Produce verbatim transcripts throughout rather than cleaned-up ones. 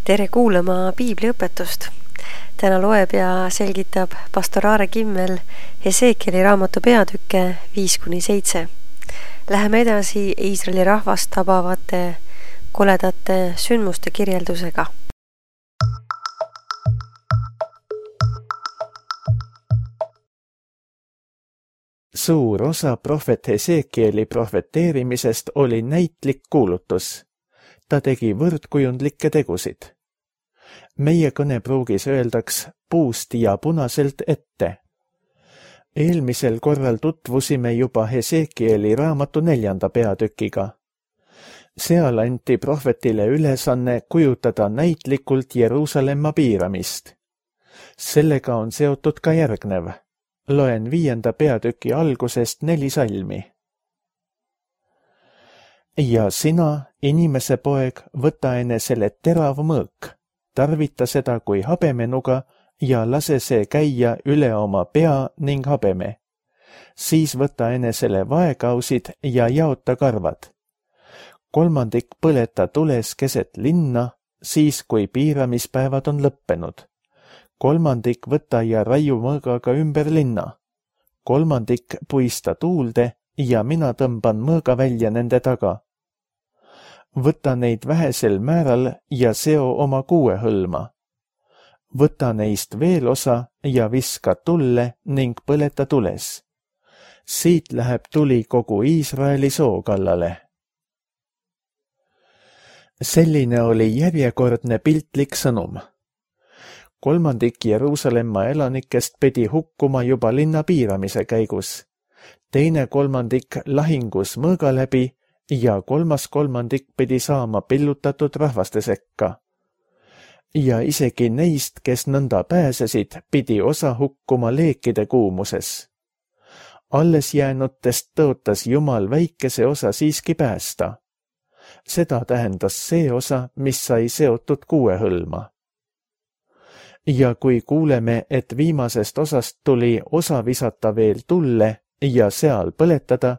Tere kuulama piibliõpetust. Täna loeb ja selgitab pastor Aare Kimmel Hesekieli raamatu peatükke viis kuni seitse. Läheme edasi Iisraeli rahvast tabavate koledate sündmuste kirjeldusega. Suur osa prohvet Hesekieli prohveteerimisest oli näitlik kuulutus. Ta tegi võrdkujundlikke tegusid. Meie kõnepruugis öeldaks puust ja punaselt ette. Eelmisel korral tutvusime juba Hesekieli raamatu neljanda peatükiga. Seal anti prohvetile ülesanne kujutada näitlikult Jeruusalemma piiramist. Sellega on seotud ka järgnev. Loen viienda peatüki algusest neli salmi. Ja sina, inimese poeg, võta enesele terav mõõk, tarvita seda kui habemenuga ja lase see käia üle oma pea ning habeme. Siis võta enesele vaekausid ja jaota karvad. Kolmandik põleta tules keset linna, siis kui piiramispäevad on lõppenud. Kolmandik võta ja raiu mõõgaga ümber linna. Kolmandik puista tuulde ja mina tõmban mõõga välja nende taga. Võta neid vähesel määral ja seo oma kuue hõlma. Võta neist veel osa ja viska tulle ning põleta tules. Siit läheb tuli kogu Iisraeli soo kallale. Selline oli järjekordne piltlik sõnum. Kolmandik Jeruusalemma elanikest pidi hukkuma juba linna piiramise käigus, teine kolmandik lahingus mõõga läbi ja kolmas kolmandik pidi saama pillutatud rahvaste sekka. Ja isegi neist, kes nõnda pääsesid, pidi osa hukkuma leekide kuumuses. Alles jäänutest tõotas Jumal väikese osa siiski päästa. Seda tähendas see osa, mis sai seotud kuue hõlma. Ja kui kuuleme, et viimasest osast tuli osa visata veel tulle ja seal põletada,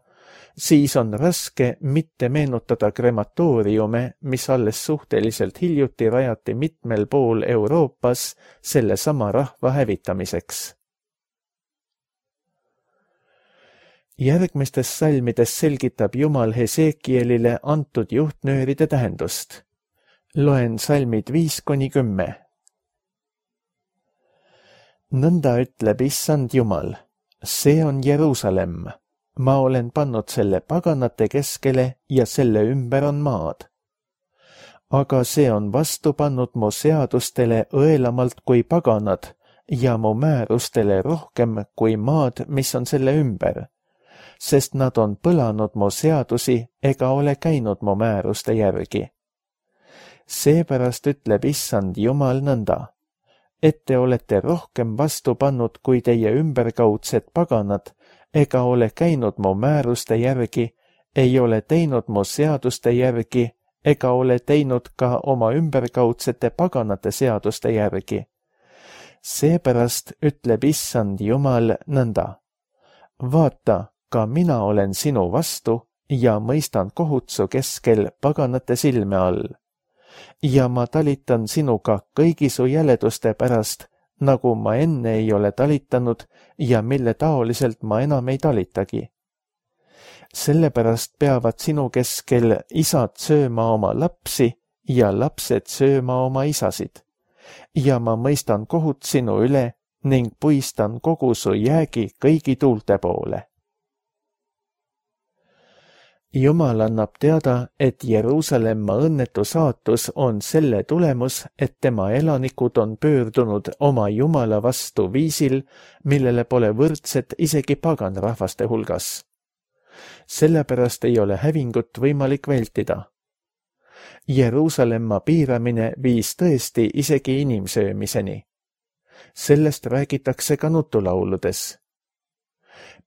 siis on raske mitte meenutada krematooriume, mis alles suhteliselt hiljuti rajati mitmel pool Euroopas selle sama rahva hävitamiseks. Järgmistes salmides selgitab Jumal Hesekielile antud juhtnööride tähendust. Loen salmid viis kuni kümme. Nõnda ütleb issand Jumal, see on Jeruusalemm. Ma olen pannud selle paganate keskele ja selle ümber on maad. Aga see on vastu pannud mu seadustele õelamalt kui paganad ja mu määrustele rohkem kui maad, mis on selle ümber, sest nad on põlanud mu seadusi ega ole käinud mu määruste järgi. Seepärast ütleb issand Jumal nõnda, et te olete rohkem vastu pannud kui teie ümberkaudsed paganad, ega ole käinud mu määruste järgi, ei ole teinud mu seaduste järgi, ega ole teinud ka oma ümberkaudsete paganate seaduste järgi. Seepärast ütleb issand Jumal nõnda. Vaata, ka mina olen sinu vastu ja mõistan kohut su keskel paganate silme all. Ja ma talitan sinuga kõigi su jäleduste pärast, nagu ma enne ei ole talitanud ja mille taoliselt ma enam ei talitagi. Sellepärast peavad sinu keskel isad sööma oma lapsi ja lapsed sööma oma isasid. Ja ma mõistan kohut sinu üle ning puistan kogu su jäägi kõigi tuulte poole. Jumal annab teada, et Jeruusalemma õnnetu saatus on selle tulemus, et tema elanikud on pöördunud oma Jumala vastu viisil, millele pole võrdset isegi paganrahvaste hulgas. Sellepärast ei ole hävingut võimalik vältida. Jeruusalemma piiramine viis tõesti isegi inimsöömiseni. Sellest räägitakse ka nutulauludes.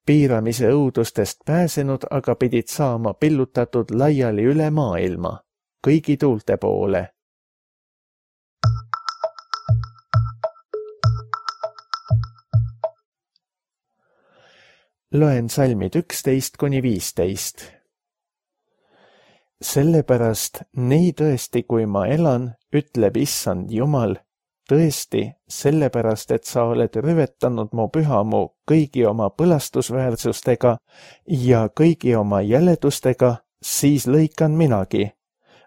Piiramise õudustest pääsenud aga pidid saama pillutatud laiali üle maailma, kõigi tuulte poole. Loen salmid üksteist kuni viisteist. sellepärast nii tõesti, kui ma elan, ütleb Issand Jumal, tõesti, sellepärast, et sa oled rüvetanud mu pühamu kõigi oma põlastusväärsustega ja kõigi oma jäledustega, siis lõikan minagi.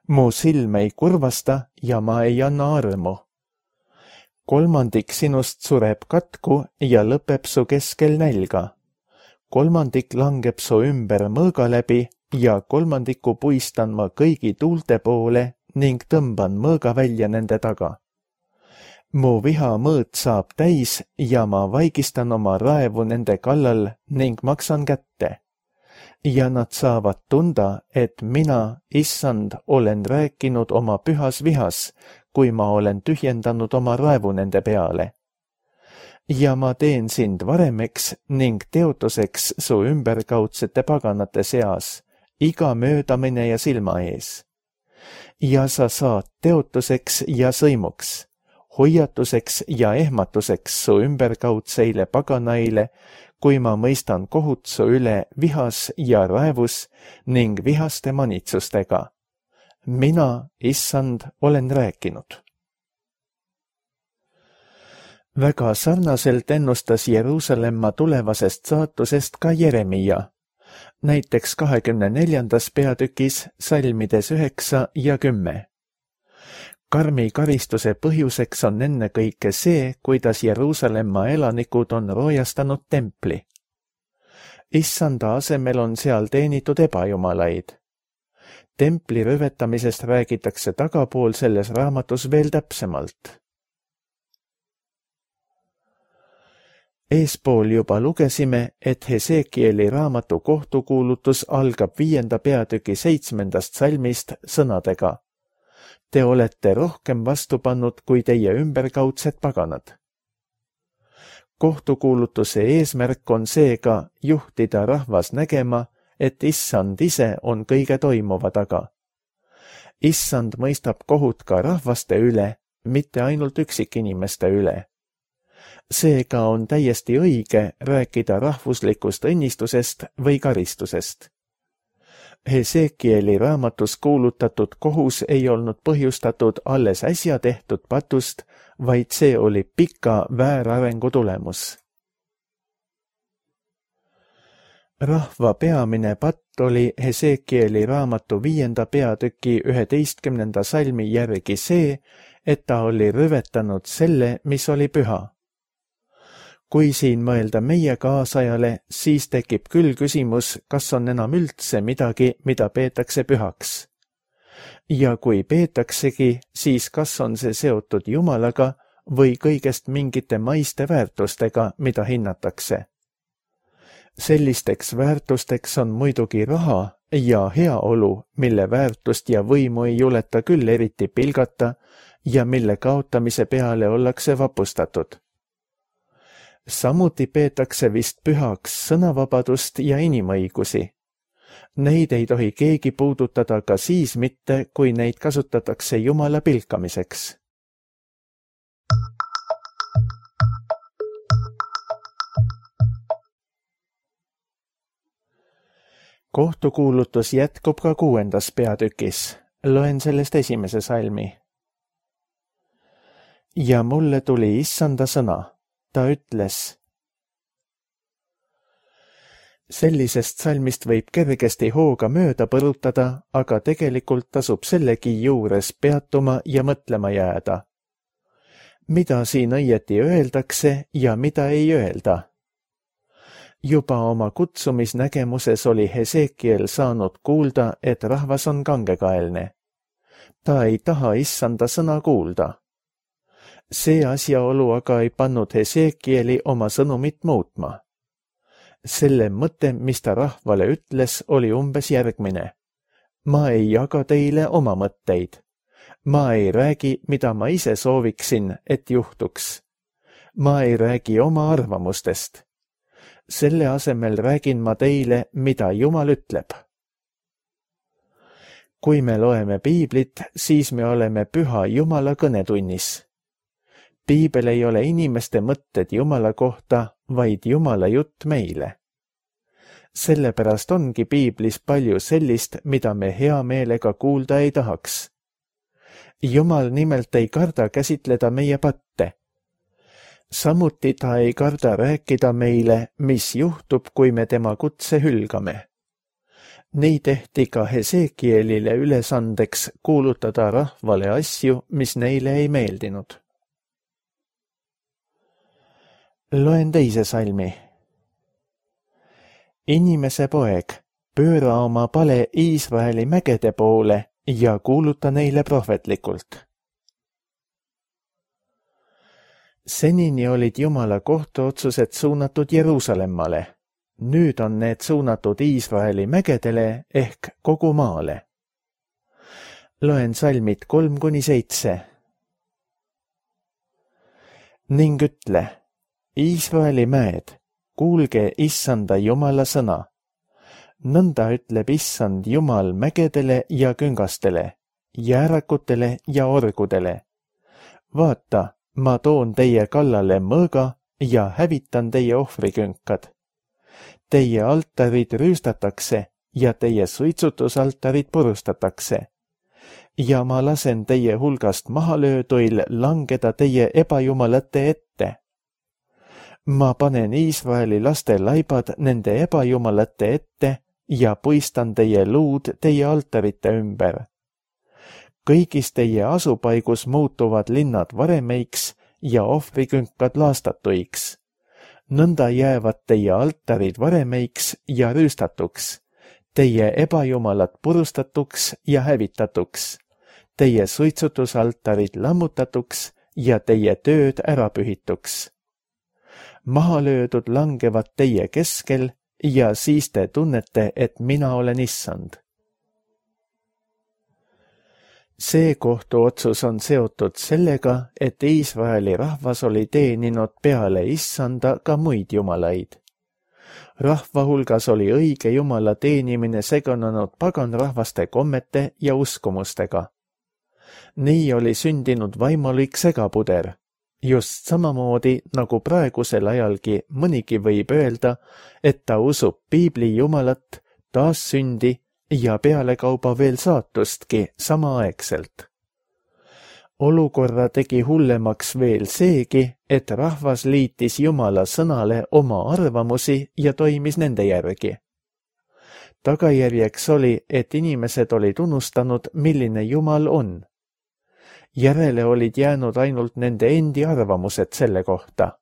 Mu silm ei kurvasta ja ma ei anna armu. Kolmandik sinust sureb katku ja lõpeb su keskel nälga. Kolmandik langeb su ümber mõõga läbi ja kolmandiku puistan ma kõigi tuulte poole ning tõmban mõõga välja nende taga. Mu viha mõõt saab täis ja ma vaigistan oma raevu nende kallal ning maksan kätte. Ja nad saavad tunda, et mina, Issand, olen rääkinud oma pühas vihas, kui ma olen tühjendanud oma raevu nende peale. Ja ma teen sind varemeks ning teotuseks su ümberkaudsete paganate seas, iga möödamine ja silma ees. Ja sa saad teotuseks ja sõimuks, hoiatuseks ja ehmatuseks su ümberkaudseile paganaile, kui ma mõistan kohut su üle vihas ja raevus ning vihaste manitsustega. Mina, Issand, olen rääkinud. Väga sarnaselt ennustas Jeruusalemma tulevasest saatusest ka Jeremia, näiteks kahekümne neljandas peatükis salmides üheksa ja kümme. Karmi karistuse põhjuseks on ennekõike see, kuidas Jeruusalemma elanikud on roojastanud templi. Issanda asemel on seal teenitud ebajumalaid. Templi rüvetamisest räägitakse tagapool selles raamatus veel täpsemalt. Eespool juba lugesime, et Hesekieli raamatu kohtukuulutus algab viienda peatüki seitsmendast salmist sõnadega. Te olete rohkem vastu pannud kui teie ümberkaudsed paganad. Kohtukuulutuse eesmärk on seega juhtida rahvas nägema, et Issand ise on kõige toimuva taga. Issand mõistab kohut ka rahvaste üle, mitte ainult üksikinimeste üle. Seega on täiesti õige rääkida rahvuslikust õnnistusest või karistusest. Hesekieli raamatus kuulutatud kohus ei olnud põhjustatud alles äsja tehtud patust, vaid see oli pika väärarengu tulemus. Rahva peamine patt oli Hesekieli raamatu viienda peatüki üheteistkümnenda salmi järgi see, et ta oli rüvetanud selle, mis oli püha. Kui siin mõelda meie kaasajale, siis tekib küll küsimus, kas on enam üldse midagi, mida peetakse pühaks. Ja kui peetaksegi, siis kas on see seotud Jumalaga või kõigest mingite maiste väärtustega, mida hinnatakse. Sellisteks väärtusteks on muidugi raha ja heaolu, mille väärtust ja võimu ei juleta küll eriti pilgata ja mille kaotamise peale ollakse vapustatud. Samuti peetakse vist pühaks sõnavabadust ja inimõigusi. Neid ei tohi keegi puudutada ka siis mitte, kui neid kasutatakse Jumala pilkamiseks. Kohtukuulutus jätkub ka kuuendas peatükis. Loen sellest esimese salmi. Ja mulle tuli Issanda sõna. Ta ütles. Sellisest salmist võib kergesti hooga mööda põrutada, aga tegelikult tasub sellegi juures peatuma ja mõtlema jääda. Mida siin õieti öeldakse ja mida ei öelda? Juba oma kutsumisnägemuses oli Hesekiel saanud kuulda, et rahvas on kangekaelne. Ta ei taha Issanda sõna kuulda. See asjaolu aga ei pannud Hesekieli oma sõnumit muutma. Selle mõte, mis ta rahvale ütles, oli umbes järgmine. Ma ei jaga teile oma mõtteid. Ma ei räägi, mida ma ise sooviksin, et juhtuks. Ma ei räägi oma arvamustest. Selle asemel räägin ma teile, mida Jumal ütleb. Kui me loeme piiblit, siis me oleme püha Jumala kõnetunnis. Piibel ei ole inimeste mõtted Jumala kohta, vaid Jumala jutt meile. Sellepärast ongi piiblis palju sellist, mida me hea meelega kuulda ei tahaks. Jumal nimelt ei karda käsitleda meie patte. Samuti ta ei karda rääkida meile, mis juhtub, kui me tema kutse hülgame. Nii tehti ka Hesekielile ülesandeks kuulutada rahvale asju, mis neile ei meeldinud. Loen teise salmi. Inimese poeg, pööra oma pale Iisraeli mägede poole ja kuuluta neile prohvetlikult. Senini olid Jumala kohtuotsused suunatud Jeruusalemmale. Nüüd on need suunatud Iisraeli mägedele ehk kogu maale. Loen salmid kolm kuni seitse. Ning ütle, Iisraeli mäed, kuulge issanda Jumala sõna. Nõnda ütleb issand Jumal mägedele ja küngastele, jäärakutele ja orgudele. Vaata, ma toon teie kallale mõõga ja hävitan teie ohvrikünkad. Teie altarid rüüstatakse ja teie suitsutusaltarid purustatakse. Ja ma lasen teie hulgast mahalööduil langeda teie ebajumalate ette. Ma panen Iisraeli laste laibad nende ebajumalate ette ja puistan teie luud teie altarite ümber. Kõigis teie asupaigus muutuvad linnad varemeiks ja ohvrikünkad laastatuiks. Nõnda jäävad teie altarid varemeiks ja rüüstatuks, teie ebajumalad purustatuks ja hävitatuks, teie suitsutusaltarid lammutatuks ja teie tööd ärapühituks. Mahalöödud langevad teie keskel ja siis te tunnete, et mina olen issand. See kohtuotsus on seotud sellega, et Iisraeli rahvas oli teeninud peale issanda ka muid jumalaid. Rahva hulgas oli õige Jumala teenimine segunenud paganrahvaste kommete ja uskumustega. Nii oli sündinud vaimulik segapuder. Just samamoodi, nagu praegusel ajalgi mõnigi võib öelda, et ta usub piibli Jumalat, taassündi ja pealekauba veel saatustki samaaegselt. Olukorra tegi hullemaks veel seegi, et rahvas liitis Jumala sõnale oma arvamusi ja toimis nende järgi. Tagajärjeks oli, et inimesed olid unustanud, milline Jumal on. Järele olid jäänud ainult nende endi arvamused selle kohta.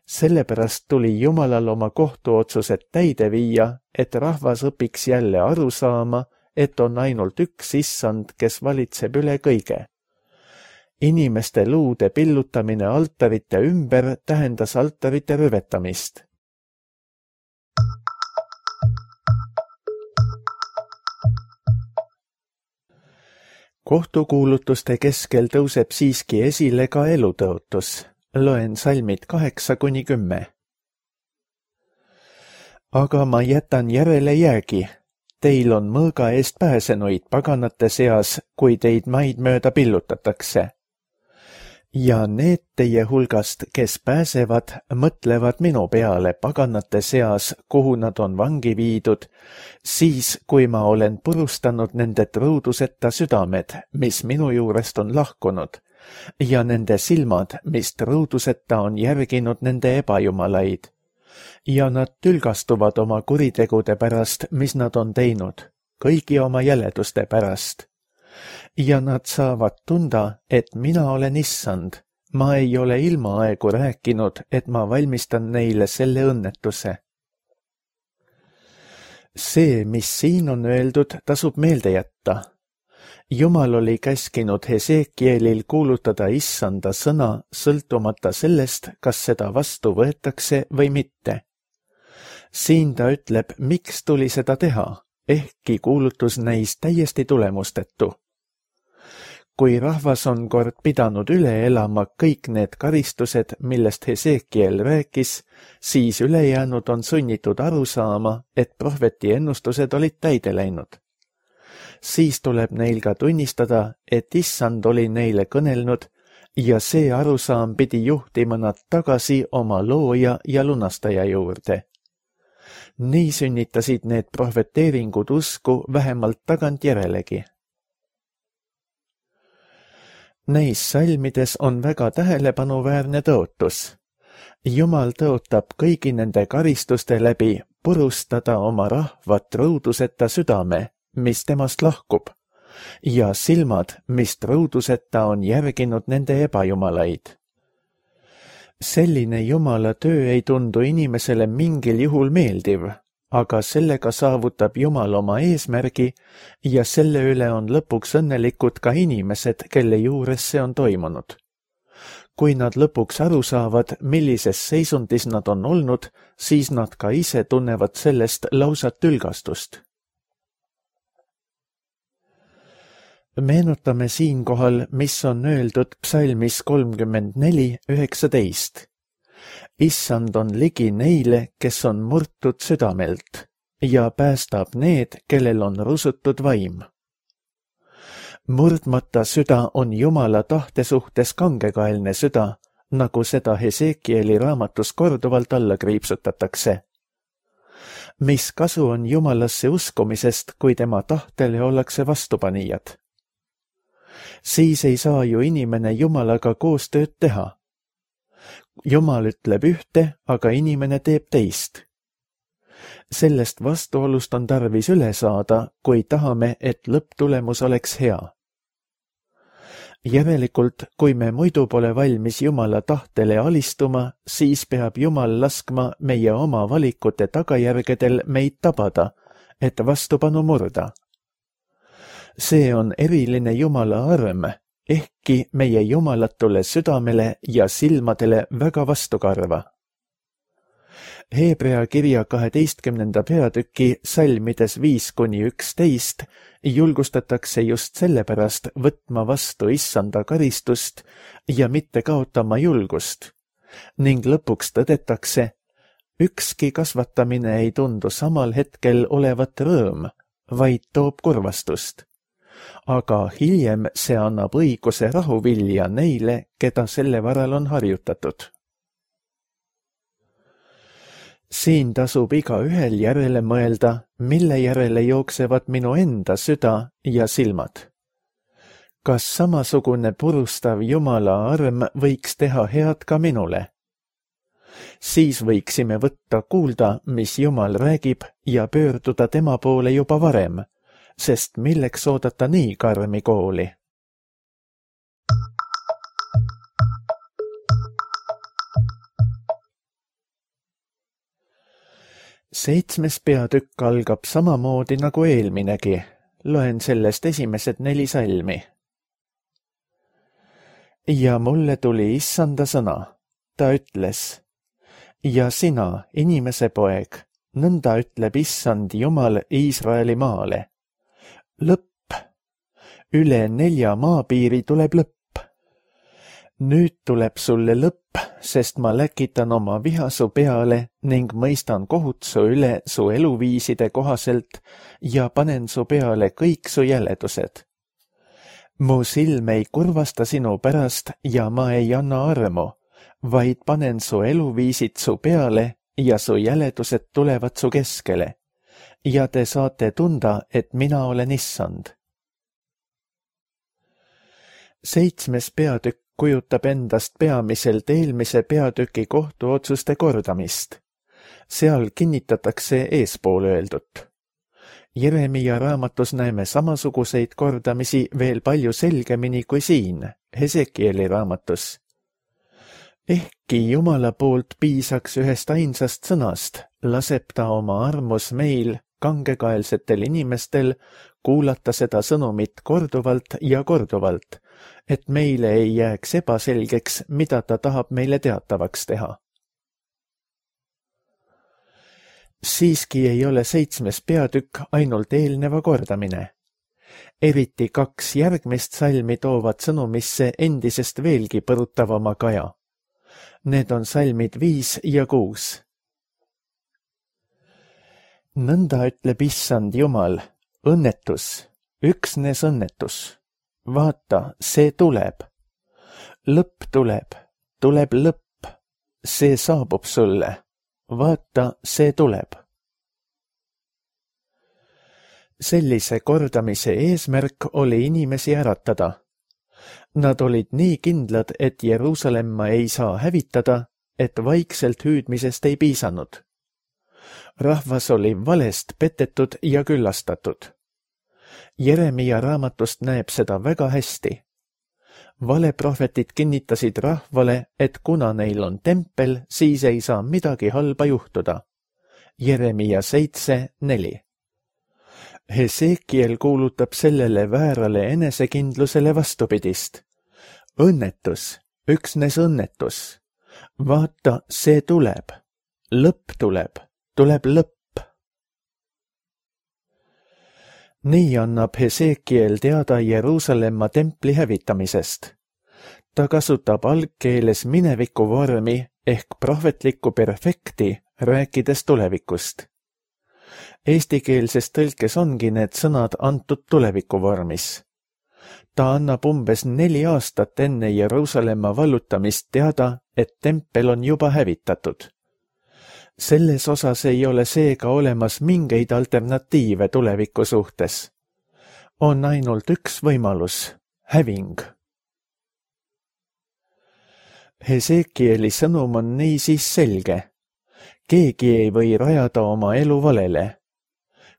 Sellepärast tuli Jumalal oma kohtuotsused täide viia, et rahvas õpiks jälle aru saama, et on ainult üks issand, kes valitseb üle kõige. Inimeste luude pillutamine altarite ümber tähendas altarite rüvetamist. Kohtukuulutuste keskel tõuseb siiski esile ka elutõotus. Loen salmid kaheksa kuni kümme. Aga ma jätan järele jäägi. Teil on mõõga eest pääsenuid paganate seas, kui teid maid mööda pillutatakse. Ja need teie hulgast, kes pääsevad, mõtlevad minu peale paganate seas, kuhu nad on vangi viidud, siis kui ma olen purustanud nende truuduseta südamed, mis minu juurest on lahkunud, ja nende silmad, mis truuduseta on järginud nende ebajumalaid. Ja nad tülgastuvad oma kuritegude pärast, mis nad on teinud, kõigi oma jäleduste pärast. Ja nad saavad tunda, et mina olen issand. Ma ei ole ilmaaegu rääkinud, et ma valmistan neile selle õnnetuse. See, mis siin on öeldud, tasub meelde jätta. Jumal oli käskinud Hesekielil kuulutada issanda sõna sõltumata sellest, kas seda vastu võetakse või mitte. Siin ta ütleb, miks tuli seda teha, ehkki kuulutus näis täiesti tulemustetu. Kui rahvas on kord pidanud üle elama kõik need karistused, millest Hesekiel rääkis, siis ülejäänud on sunnitud aru saama, et prohveti ennustused olid täide läinud. Siis tuleb neil ka tunnistada, et issand oli neile kõnelnud ja see arusaam pidi juhtima nad tagasi oma looja ja lunastaja juurde. nii sünnitasid need prohveteeringud usku vähemalt tagantjärelegi. Neis salmides on väga tähelepanuväärne tõotus. Jumal tõotab kõigi nende karistuste läbi purustada oma rahvat rõuduseta südame, mis temast lahkub, ja silmad, mis rõuduseta on järginud nende ebajumalaid. Selline Jumala töö ei tundu inimesele mingil juhul meeldiv, aga sellega saavutab Jumal oma eesmärgi ja selle üle on lõpuks õnnelikud ka inimesed, kelle juures see on toimunud. Kui nad lõpuks aru saavad, millises seisundis nad on olnud, siis nad ka ise tunnevad sellest lausat ülgastust. Meenutame siinkohal, mis on öeldud psalmis kolmkümmend neli üheksateist. Issand on ligi neile, kes on murtud südamelt ja päästab need, kellel on rusutud vaim. Murdmata süda on Jumala tahte suhtes kangekaelne süda, nagu seda Hesekieli raamatus korduvalt alla kriipsutatakse. Mis kasu on Jumalasse uskumisest, kui tema tahtele ollakse vastupanijad? Siis ei saa ju inimene Jumalaga koostööd teha. Jumal ütleb ühte, aga inimene teeb teist. Sellest vastuolust on tarvis üle saada, kui tahame, et lõpptulemus oleks hea. Järelikult, kui me muidu pole valmis Jumala tahtele alistuma, siis peab Jumal laskma meie oma valikute tagajärgedel meid tabada, et vastupanu murda. See on eriline Jumala arm, ehkki meie jumalatule südamele ja silmadele väga vastukarva. Heebrea kirja kaheteistkümnenda peatüki salmides viis kuni üksteist julgustatakse just sellepärast võtma vastu issanda karistust ja mitte kaotama julgust, ning lõpuks tõdetakse, ükski kasvatamine ei tundu samal hetkel olevat rõõm, vaid toob kurvastust. Aga hiljem see annab õiguse rahuvilja neile, keda selle varal on harjutatud. Siin tasub igaühel järele mõelda, mille järele jooksevad minu enda süda ja silmad. Kas samasugune purustav Jumala arm võiks teha head ka minule? Siis võiksime võtta kuulda, mis Jumal räägib ja pöörduda tema poole juba varem, sest milleks oodata nii karmi kooli? Seitsmes peatükk algab samamoodi nagu eelminegi. Loen sellest esimesed neli salmi. Ja mulle tuli issanda sõna. Ta ütles, ja sina, inimese poeg, nõnda ütleb issand Jumal Iisraeli maale. Lõpp. Üle nelja maapiiri tuleb lõpp. Nüüd tuleb sulle lõpp, sest ma läkitan oma viha su peale ning mõistan kohut su üle su eluviiside kohaselt ja panen su peale kõik su jäledused. Mu silm ei kurvasta sinu pärast ja ma ei anna armu, vaid panen su eluviisid su peale ja su jäledused tulevad su keskele. Ja te saate tunda, et mina olen issand. Seitsmes peatükk kujutab endast peamiselt eelmise peatüki kohtuotsuste kordamist. Seal kinnitatakse eespool öeldut. Jeremia raamatus näeme samasuguseid kordamisi veel palju selgemini kui siin, Hesekieli raamatus. Ehkki Jumala poolt piisaks ühest ainsast sõnast, laseb ta oma armus meil, kangekaelsetel inimestel, kuulata seda sõnumit korduvalt ja korduvalt, et meile ei jääks ebaselgeks, mida ta tahab meile teatavaks teha. Siiski ei ole seitsmes peatükk ainult eelneva kordamine. Eriti kaks järgmist salmi toovad sõnumisse endisest veelgi põrutavama kaja. Need on salmid viis ja kuus. Nõnda ütleb issand Jumal, õnnetus, üksnes õnnetus. Vaata, see tuleb. Lõpp tuleb, tuleb lõpp. See saabub sulle. Vaata, see tuleb. sellise kordamise eesmärk oli inimesi äratada. Nad olid nii kindlad, et Jeruusalemma ei saa hävitada, et vaikselt hüüdmisest ei piisanud. Rahvas oli valest petetud ja küllastatud. Jeremia raamatust näeb seda väga hästi. Valeprohvetid kinnitasid rahvale, et kuna neil on tempel, siis ei saa midagi halba juhtuda. Jeremia seitse neli. Hesekiel kuulutab sellele väärale enesekindlusele vastupidist. Õnnetus, üksnes õnnetus. Vaata, see tuleb. Lõpp tuleb, tuleb lõpp. Nii annab Hesekiel teada Jeruusalemma templi hävitamisest. Ta kasutab algkeeles mineviku vormi ehk prohvetlikku perfekti, rääkides tulevikust. Eestikeelses tõlkes ongi need sõnad antud tuleviku vormis. Ta annab umbes neli aastat enne Jeruusalemma vallutamist teada, et tempel on juba hävitatud. Selles osas ei ole seega olemas mingeid alternatiive tuleviku suhtes. On ainult üks võimalus, häving. Hesekieli sõnum on niisiis selge. Keegi ei või rajada oma elu valele.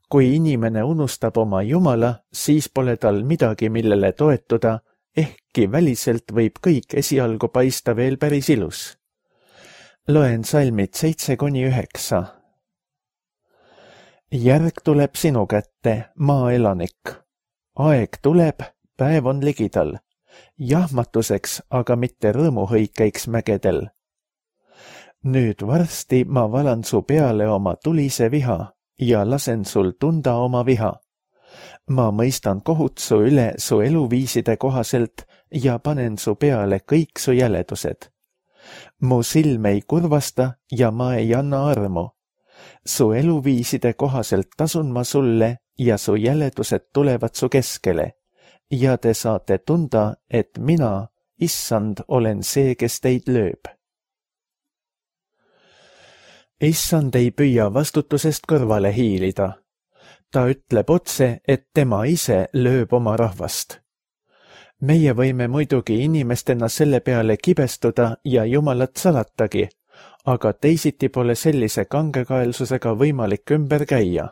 Kui inimene unustab oma Jumala, siis pole tal midagi, millele toetuda, ehkki väliselt võib kõik esialgu paista veel päris ilus. Loen salmid seitse kuni üheksa. Järg tuleb sinu kätte, maaelanik. Aeg tuleb, päev on ligidal. Jahmatuseks, aga mitte rõõmuhõikeiks mägedel. Nüüd varsti ma valan su peale oma tulise viha ja lasen sul tunda oma viha. Ma mõistan kohut su üle su eluviiside kohaselt ja panen su peale kõik su jäledused. Mu silm ei kurvasta ja ma ei anna armu. Su eluviiside kohaselt tasun ma sulle ja su jäledused tulevad su keskele. Ja te saate tunda, et mina, issand, olen see, kes teid lööb. Issand ei püüa vastutusest kõrvale hiilida. Ta ütleb otse, et tema ise lööb oma rahvast. Meie võime muidugi inimestena selle peale kibestuda ja Jumalat salatagi, aga teisiti pole sellise kangekaelsusega võimalik ümber käia.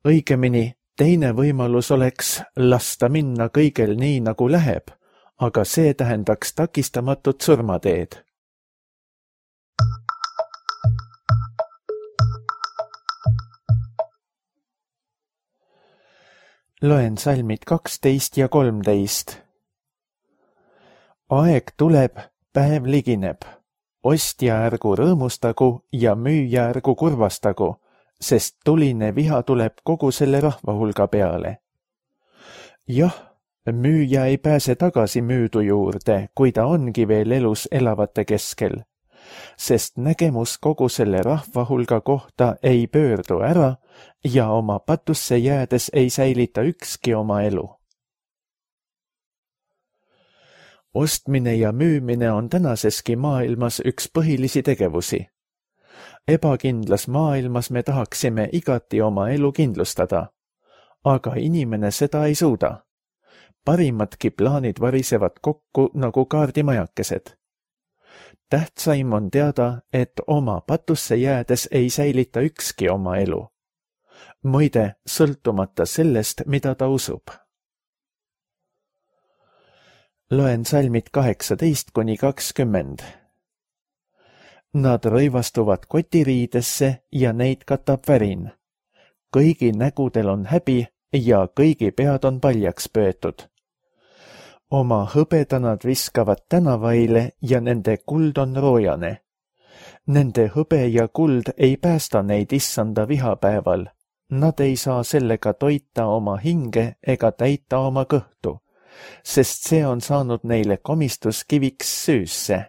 Õigemini, teine võimalus oleks lasta minna kõigel nii, nagu läheb, aga see tähendaks takistamatut surmateed. Loen salmid kaksteist ja kolmteist. Aeg tuleb, päev ligineb. Ostja ärgu rõõmustagu ja müüja ärgu kurvastagu, sest tuline viha tuleb kogu selle rahva hulga peale. Jah, müüja ei pääse tagasi müüdu juurde, kui ta ongi veel elus elavate keskel, sest nägemus kogu selle rahva hulga kohta ei pöördu ära ja oma patusse jäädes ei säilita ükski oma elu. Ostmine ja müümine on tänaseski maailmas üks põhilisi tegevusi. Ebakindlas maailmas me tahaksime igati oma elu kindlustada, aga inimene seda ei suuda. Parimadki plaanid varisevad kokku nagu kaardimajakesed. Tähtsaim on teada, et oma patusse jäädes ei säilita ükski oma elu. Muide, sõltumata sellest, mida ta usub. Loen salmid kaheksateist kuni kakskümmend. Nad rõivastuvad kotiriidesse ja neid katab värin. Kõigi nägudel on häbi ja kõigi pead on paljaks pöötud. Oma hõbeda nad viskavad tänavaile ja nende kuld on roojane. Nende hõbe ja kuld ei päästa neid issanda vihapäeval. Nad ei saa sellega toita oma hinge ega täita oma kõhtu, sest see on saanud neile komistuskiviks süüsse.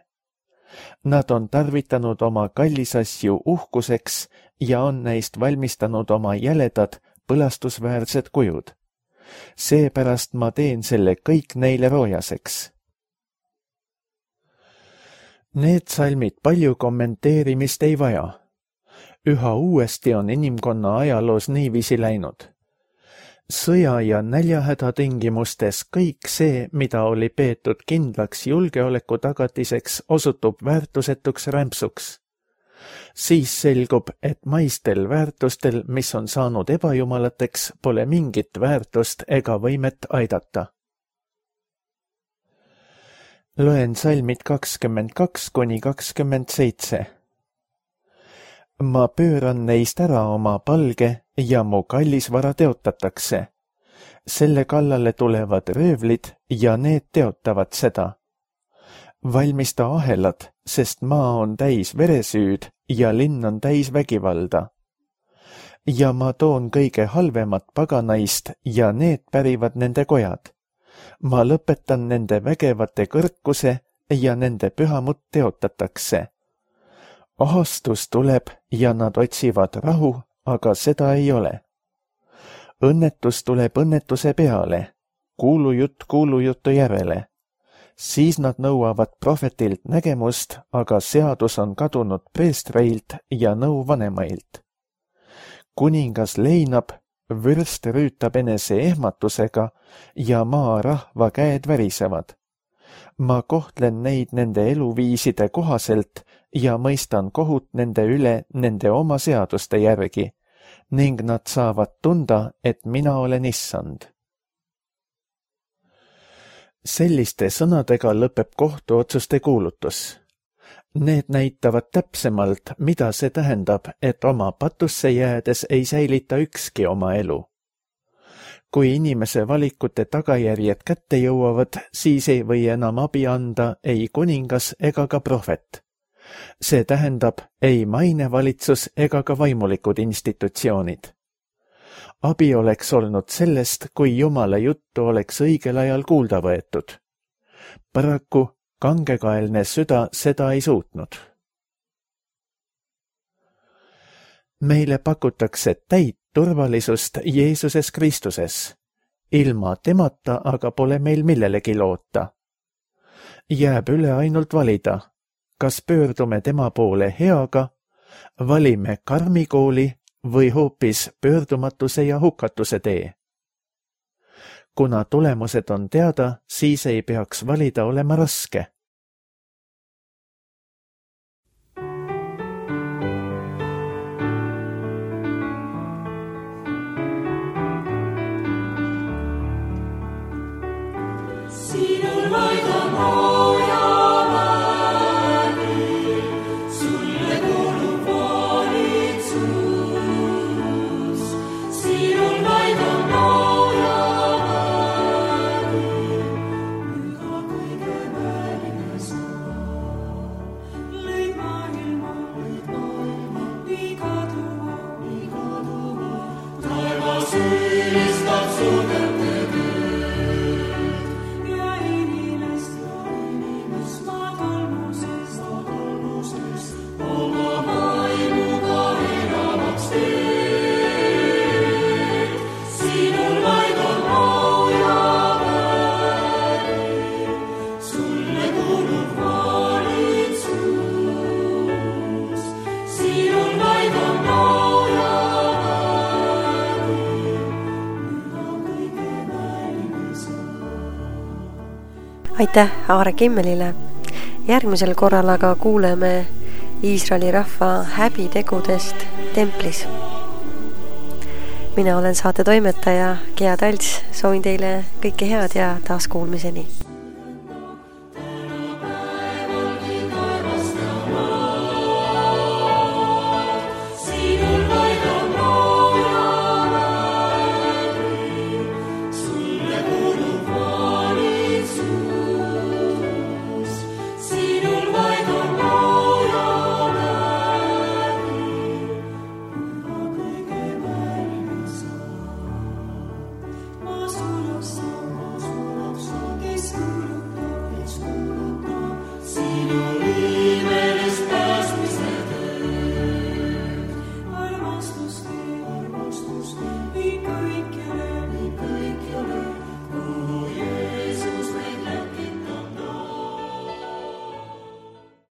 Nad on tarvitanud oma kallisasju uhkuseks ja on neist valmistanud oma jäledad põlastusväärsed kujud. Seepärast ma teen selle kõik neile roojaseks. Need salmid palju kommenteerimist ei vaja. Üha uuesti on inimkonna ajaloos niiviisi läinud. sõja ja näljahäda tingimustes kõik see, mida oli peetud kindlaks julgeoleku tagatiseks, osutub väärtusetuks rämpsuks. Siis selgub, et maistel väärtustel, mis on saanud ebajumalateks, pole mingit väärtust ega võimet aidata. Loen salmid kakskümmend kaks kuni kakskümmend seitse. Ma pööran neist ära oma palge ja mu kallisvara teotatakse. Selle kallale tulevad röövlid ja need teotavad seda. Valmista ahelad, sest maa on täis veresüüd ja linn on täis vägivalda. Ja ma toon kõige halvemat paganaist ja need pärivad nende kojad. Ma lõpetan nende vägevate kõrkuse ja nende pühamut teotatakse. Ahastus tuleb ja nad otsivad rahu, aga seda ei ole. Õnnetus tuleb õnnetuse peale, kuulujutt kuulujutu järele. Siis nad nõuavad prohvetilt nägemust, aga seadus on kadunud preestreilt ja nõu vanemailt. Kuningas leinab, vürst rüütab enese ehmatusega ja maa rahva käed värisevad. Ma kohtlen neid nende eluviiside kohaselt ja mõistan kohut nende üle nende oma seaduste järgi, ning nad saavad tunda, et mina olen issand. Selliste sõnadega lõpeb kohtuotsuste kuulutus. Need näitavad täpsemalt, mida see tähendab, et oma patusse jäädes ei säilita ükski oma elu. Kui inimese valikute tagajärjed kätte jõuavad, siis ei või enam abi anda ei kuningas ega ka prohvet. See tähendab ei mainevalitsus ega ka vaimulikud institutsioonid. Abi oleks olnud sellest, kui Jumala juttu oleks õigel ajal kuulda võetud. Paraku kangekaelne süda seda ei suutnud. Meile pakutakse täit turvalisust Jeesuses Kristuses. Ilma temata aga pole meil millelegi loota. Jääb üle ainult valida, kas pöördume tema poole heaga, valime karmikooli või hoopis pöördumatuse ja hukatuse tee. Kuna tulemused on teada, siis ei peaks valida olema raske. Aitäh Aare Kimmelile. Järgmisel korral aga kuuleme Iisraeli rahva häbitegudest templis. Mina olen saate toimetaja Gea Talts, soovin teile kõike head ja taaskuulmiseni.